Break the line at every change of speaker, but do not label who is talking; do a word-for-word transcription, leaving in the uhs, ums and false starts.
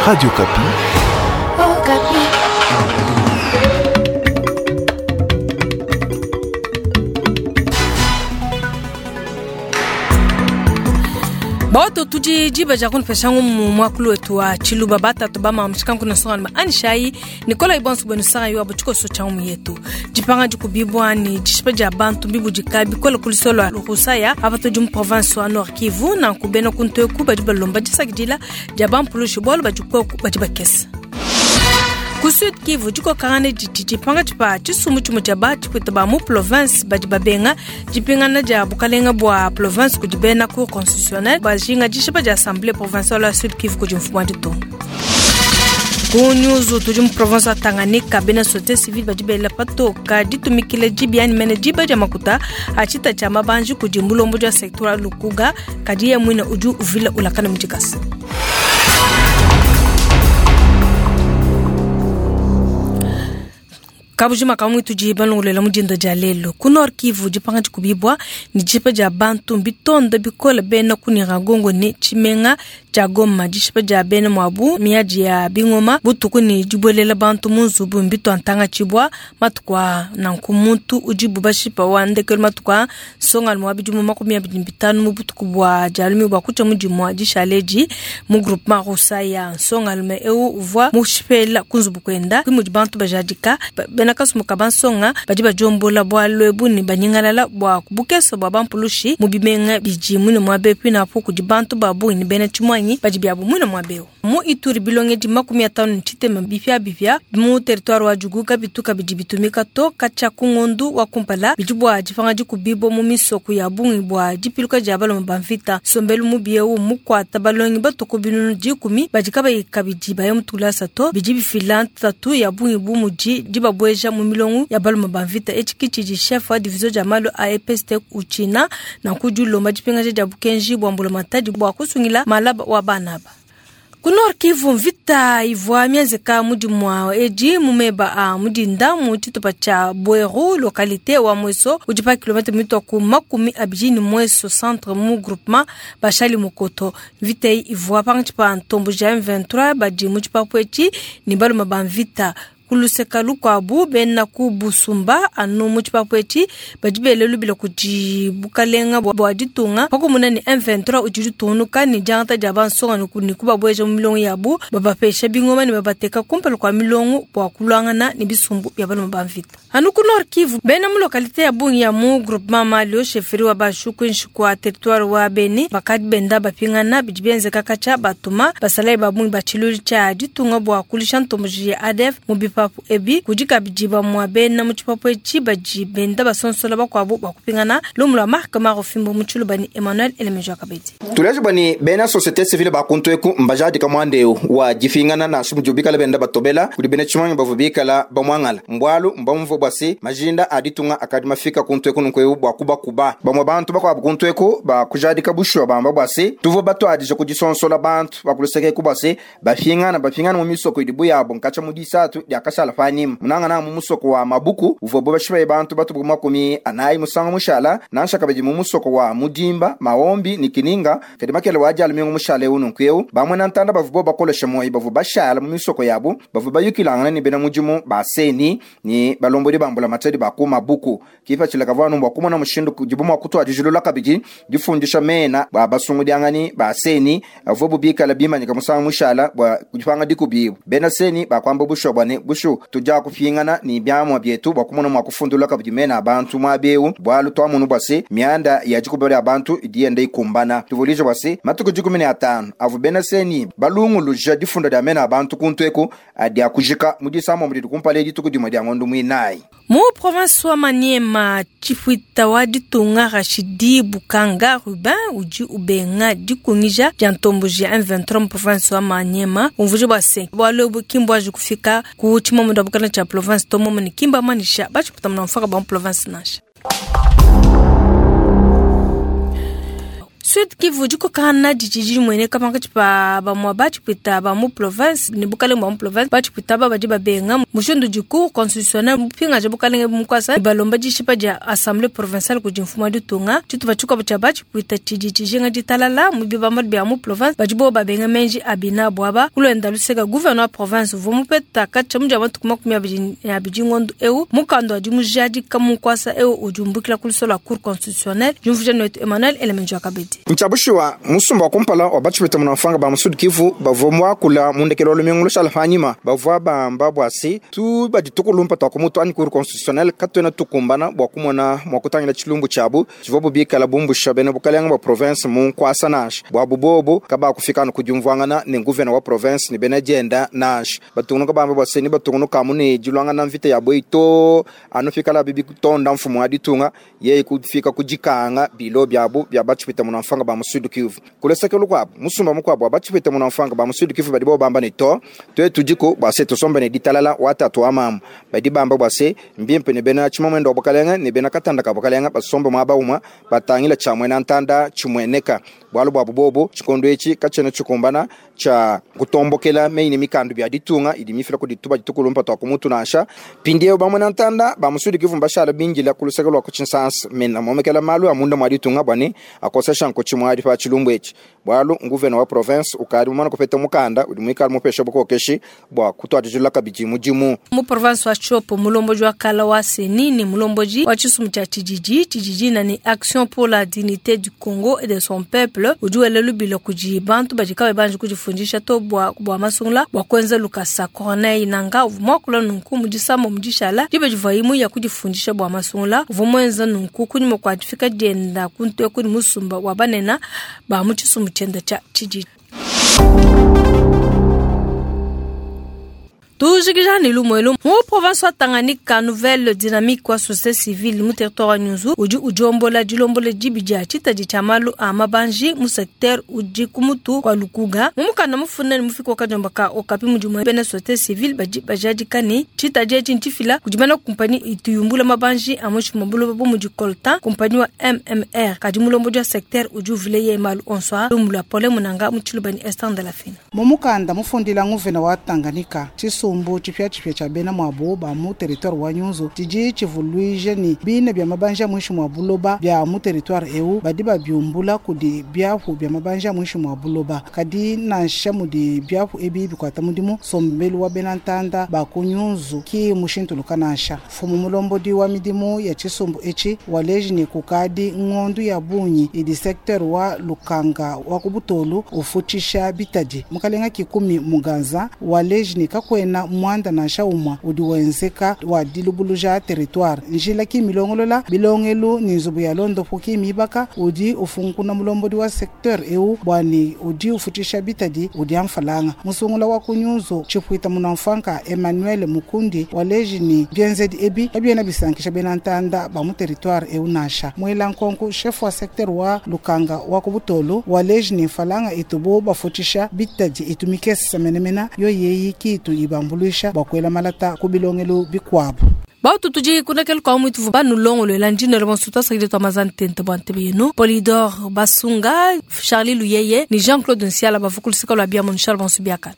Radio Okapi.
Oh, Okapi.
Baoto tudi diba dia kunupesha ngumu muakulu wetu wa tshiluba batatu bamamutshika nkuna nsongani ma anishayi nikola ibonso bwenu sanga yo abo tshikoso tshia ngumu yetu dipanga dikubibwa ni dishipa dia bantu mbibudika bikola kuliso lua lukusaya apa tudi mu province wa Nord Kivu nanku bena kuntu eku badi balomba disakidila dia bampulushi bualu badi koku badi bakesa ku Sud Kivu dikokangana didi dipanga tshipa tshisumbu tshimue tshia batshipwita ba mu province badi babenga dipingana dia bukalenga bua province kudi bena cour constitutionnelle bajinga dishipa dia assemblée provinciale ya Sud Kivu kudi mfumu wa ditunga. Ku nyuzu tudi mu province wa Tanganyika bena société civile badi bela patoka ditumikila dibi ani mene diba dia makuta a tshita tshia mabanji kudi mulombo dia secteur wa Lukuga kadi ye muine udi uvila ulakana mu dikasa. Kabujima kamwe tudi balongolela mudinda dia lelo ku Nord Kivu dipanga dikubibwa ni dishipa dia bantu bitonda bikola bena kunira gongo ni tshimenga tshia Goma dishipa dia bena mwabu miadi ya bingoma butuku ni dibuelela bantu mu nzubu mbitwa ntanga tshibwa matuku a nanku muntu udibu bashipa wa ndekelu matuku a nsongalume wa bidimu makumi abidi bitanu mu butuku bua dialumi bua kutshia mudimu wa dishaledi mu groupement Rusaya nsongalume eu uvua mushipela ku nzubu kuenda mudi bantu bajadika bena kasumuka bansonga badi badiombola bualu ebu ne banyingalala bua bukesa bua bampulushi mu bimenga bidi muine muaba epu inapu kudi bantu ba bungi ne bena tshimuanyi badi biabu muine muaba eu. Mu Ituri bilongedi makumi atanu ne tshitema bipiabipia mu territoire wa Djugu kabitu kabidi bitumika to katshia ku ngondu wa kumpala bidi bua dipanga dikubibwa mu misoko ya bungi bua dipiluka dia baloma ba mvita. Nsombelu mubi eu mukuata balongi batuku binunu dikumi badi kabayi kabidi baya mu tulasa to bidi bifila ntatu ya bungi bu mudi dibabueja mu milongo ya baloma ba mvita. Etshi ke tshidi chef wa division dia malu a E P S T utshina nanku dilomba dipingaja dia bukenji bua mbulamatadi bua kusungila malaba wa bana aba. Ku Nord Kivu mvita ivua mienzeka mudimu wa edi mumeba a mudinda mu tshitupa tshia Bweru localité wa Mweso udi pa kilomètre mitwa ku makumi abidi ni Mweso centre mu groupement Bashali Mukoto. Mvita iyi ivua pangatshi pa ntombo ja M vingt-trois badi mu tshipapu etshi ni baluma ba mvita. Kuluseka lukuabu bena ku busumba anu mu tshipapu etshi badi bele lubila kudi bukalenga bua ditunga pakumuna ni M vingt-trois udi ditungunuka ni diangata dia bansonga ni kubabueja mu milongo yabu babapesha bingoma ne babateka kumpala kua milongo bua kuluangana ne bisumbu bia baluma ba mvita. Anu ku Nord Kivu bena mu localité ya bungi ya mu groupement Malio chefferie wa Bashu kuinshi kua territoire wa Beni bakadi benda bapingana bidi bienzeka katshia batuma basalayi ba bungi ba tshilulu tshia ditunga bua kulisha ntomboji ya A D F mu bipapu ebi kudi kabidi bamua bena mu tshipapu etshi badi benda basonsola bakuabu bua kupingana lumu lua Mark Marofimbo mu tshiluba ni Emmanuel Elemejo Kabedi.
Tuleje bani bena société civile bakuntu eku mbajadika mwandeu wa difingana na shumu jubikala benda batobela kudi bena tshimanyi bavu bikala bamwangala mbwalu mbamvu bwasi majinda aditunga akadi mafika kuntu eku nunku bwa kubakuba bamwe bantu bakwabu kuntu eku bakujadika bushwa bamba bwasi tuvo batwadije kudisonsola bantu bakuluseke eku bwasi bafingana bafingana mu misoko idibu yabo nkacha mu disatu diakashala fanyima munangana mu musoko wa Mabuku uvo bo bashibaye bantu batubu makumi anayi musanga mushala nansha kabidi mu musoko wa Mudimba Maombi ni Kininga kadi makele wa jalo mingu mushale unu nkweu bamwe na ntanda bavu bo bakolesha moyi bavu bashala mu misoko yabo bavu bayukilangana ni bena mujimu baseni ni balombodi bambula matedi baku Mabuku kifa chila kavanu mbwa kumona mushindu kujibu mwa kutwa dijulula kabidi difundisha mena ba basungu diangani baseni avu bubikala bimanyika musanga mushala bwa kujipanga dikubibu bena seni bakwamba busho bwane bushu tuja kufingana ni byamwa byetu bwa kumona mwa kufundula kabidi mena abantu mwabeu bwalu twamunu bwase mianda ya jikubere abantu idienda ikumbana tuvulije bwase matuku jikumi na atano avu bena seni balunguluja difunda dia mena abantu kuntu eku adia kujika mudisamo mudi kumpale dituku dimwe dia ngondo mwinayi.
Mu province wa Maniema tshipwita wa ditunga Rashidi Bukanga Rubin udi ubenga dikungija dia ntomboji ya M vingt-trois mu province wa Maniema umvuje bwase bualu ebu kimbwaji kufika ku tshimomo da bukana tshia province to momo ne kimba manisha batshipwita muna mfaka ba mu province nansha. Sud Kivu dikokana didi dimueneka pankatshi pa bamue batshipwita ba mu province ne bukalenge bwa mu province. Batshipwita aba badi babenga mushindu udi cour constitutionnelle mupingaja bukalenge mu nkuasa, balomba dishipa dia assemblée provinciale kudi mfumu wa ditunga. Tshitupa tshikuabu tshia batshipwita tshidi tshijinga ditalala mu bibambalu bia mu province, badi bobo babenga menji a binabu aba. Kulwenda luseka, gouverneur wa province uvua mupeta katshia mu dia matuku makumi abidi ne abidi ngondo eu mukanda wa dimujadika mu nkuasa eu udi umbukila ku lusolo lua cour constitutionnelle. Diumvuija netu Emmanuel Elemenjo Akabedi.
Ntshabushiwa musumba wa kumpala wa batshipwita munamfanga ba mu Sud Kivu bavua muakula mu ndekelo wa lumingu lushala panyima, bavua bamba bua se tu badi tukulumpa twa kumutu anyi cour constitutionnelle katuena tukumbana bua kumona mua kutangila tshilumbu tshiabu tshivua bubikala bumbusha bena bukalenge bua province mu nkuasa nansha. Bua bubobo kabakufika anu kudiumvuangana ne gouverneur wa province ne bena dienda nansha. Batungunuka bamba bua se ni batungunuka amu ne dilwangana mvita ya bwei to anu fikala bibi kutonda mfumu wa ditunga yeye kufika kudikanga bilo byabu bya batshipwita munamfanga ba mu Sud Kivu. Kuleseke lukuabu musumba mukuabu wa batshipwita munamfanga ba mu Sud Kivu badi bo bamba ne to twetu diko bua se tusombe ne ditalala watatu wa mamu. Badi bamba bua se mbimpe ne bena tshimamwendo wa bukalenge ne bena katanda ka bukalenge basombe muaba umwe batangila tshiamue na ntanda tshimueneka bualu bua bubobo tshikondo etshi katshiena tshikumbana tshia kutombokela meyi ne mikandu bia ditunga idi mifila kudi tuba ditukulumpa twa kumutu nansha. Mpindieu bamue na ntanda ba mu Sud Kivu mbashala bingila ku luseke lua ku tshinsansa mena momekela malu a munda mua ditunga bua ne akosesha nkutshi muadi pa tshilumbu etshi, bualu nguvena wa province ukadi mumana kupeta mukanda udi muikala mupesha bukokeshi bua kutuadijilula kabidi mudimu.
Mu province wa Tshopo, mulomboji wa kala wa CENI ne mulomboji wa tshisumbu tshia tshididi tshididi na ni Action pour la dignité du Congo et de son peuple udi wela lubila kudi bantu badi kabayi banji kudifundisha to bua bua masungula bua kuenza lukasa. Corneille Nanga uvua muakula nunku mu disamba mu dishala diba divuaye muya kudifundisha bua masungula. Uvua muenza nunku kunyima kua difika dienda kuntu eku ne musumba wa banene ba mu tshisumbu tshienda tshia tshididi. Tujikija ne lumuelu mu province wa Tanganyika, Nouvelle Dynamique wa société civile mu territoire wa Nyunzu udi udiombola dilombola dibi dia tshitadi tshia malu a mabanji mu secteur udi ku mutu kwa Lukuga. Mu mukanda mufunda ne mufiki wa kadiomba ka Okapi mudimu, bena société civile badi bajadika ne tshitadi etshi ntshifila kudi bena kumpanyi ituyumbula mabanji a muinshi mua buloba bu mudi coltan, kumpanyi wa M M R. Kadi mulombodi wa secteur udi uvile ye malu onso a lumu lua Pole Munanga mu tshilubani Esther de la Fina.
Mu mukanda mufundila nguvena wa Tanganyika, tshisumbu tshipiatshipia tshia bena muabu ba mu territoire wa Nyunzu tshidi tshivuluije ni bine bia mabanja a muinshi mua buloba bia mu territoire eu badi babiumbula kudi biapu bia mabanja a muinshi mua buloba. Kadi nansha mudi biapu ebi bikuata mudimu, sombelu wa bena ntanda ba ku Nyunzu ki mushintuluka nansha. Mfumu mulombodi wa midimu ya tshisumbu etshi waleji ni kukadi ngondu ya bungi idi secteur wa Lukanga wa ku Butolu ufutshisha bitadi. Mukalenga Kikumi Muganza waleji ni kakwena mwanda nansha umwa udi wenzeka wa dilubuluja territoire, njila ki milongolola bilongelu ni nzubu ya londopu ki mibaka. Udi ufunkuna mulombodi wa secteur eu bwani udi ufutshisha bitadi udi amfalanga. Musungula wa kunyunzu tshipwita munamfanka Emmanuel Mukundi waleji ni bienzedi ebi kabiena bisankisha bena ntanda ba mu territoire eu nansha. Mwela nkonku, chef wa secteur wa Lukanga wa ku Butolu waleji ni mfalanga itubu bafutshisha bitadi itumikesa menemena yo yeyi kitu ibambuluisha bua kuela malata ku bilongelu bikuabu.
Bautu tudi kunakela kwa mutu banulongolola ndinelo bonso twasakile twa mazani tente bua ntebe yenu Polidor Basunga, Charlie Luyeye ni Jean Claude Nsiala bavukulusika lua bia monishala bonso biakala.